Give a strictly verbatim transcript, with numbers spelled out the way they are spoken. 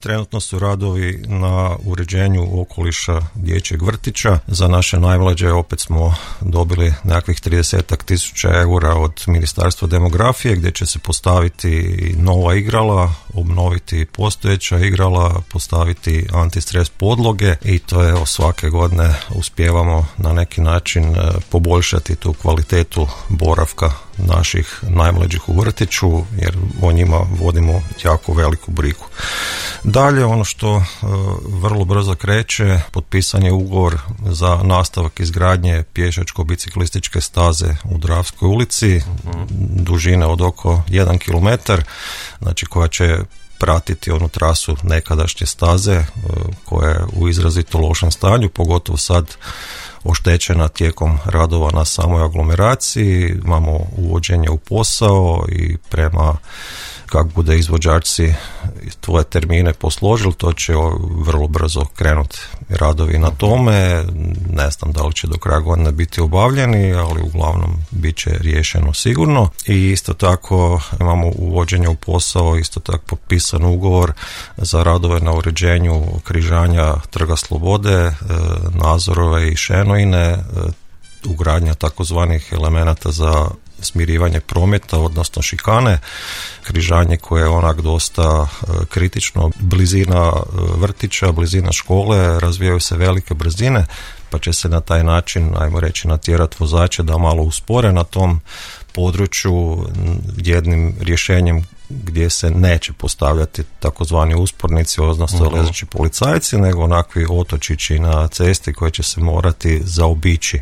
Trenutno su radovi na uređenju okoliša dječjeg vrtića. Za naše najmlađe opet smo dobili nekakvih tridesetak tisuća eura od Ministarstva demografije, gdje će se postaviti nova igrala, obnoviti postojeća igrala, postaviti antistres podloge i to je svake godine uspijevamo na neki način poboljšati tu kvalitetu boravka naših najmlađih u vrtiću, jer o njima vodimo jako veliku brigu. Dalje, ono što uh, vrlo brzo kreće, potpisan je ugovor za nastavak izgradnje pješačko-biciklističke staze u Dravskoj ulici, mm-hmm. dužine od oko jedan kilometar, znači koja će pratiti onu trasu nekadašnje staze uh, koja je u izrazito lošem stanju, pogotovo sad oštećena tijekom radova na samoj aglomeraciji. Imamo uvođenje u posao i prema kako bude izvođači tvoje termine posložili, to će vrlo brzo krenuti radovi na tome. Ne znam da li će do kraja godine biti obavljeni, ali uglavnom bit će riješeno sigurno. I isto tako imamo uvođenje u posao, isto tako potpisan ugovor za radove na uređenju križanja Trga Slobode, Nazorove i Šenojine, ugradnja takozvanih elemenata za smirivanje prometa, odnosno šikane, križanje koje je onak dosta kritično, blizina vrtića, blizina škole, razvijaju se velike brzine, pa će se na taj način, ajmo reći, natjerati vozače da malo uspore na tom području jednim rješenjem gdje se neće postavljati takozvani uspornici, odnosno uh-huh. lezeći policajci, nego onakvi otočići na cesti koje će se morati zaobići.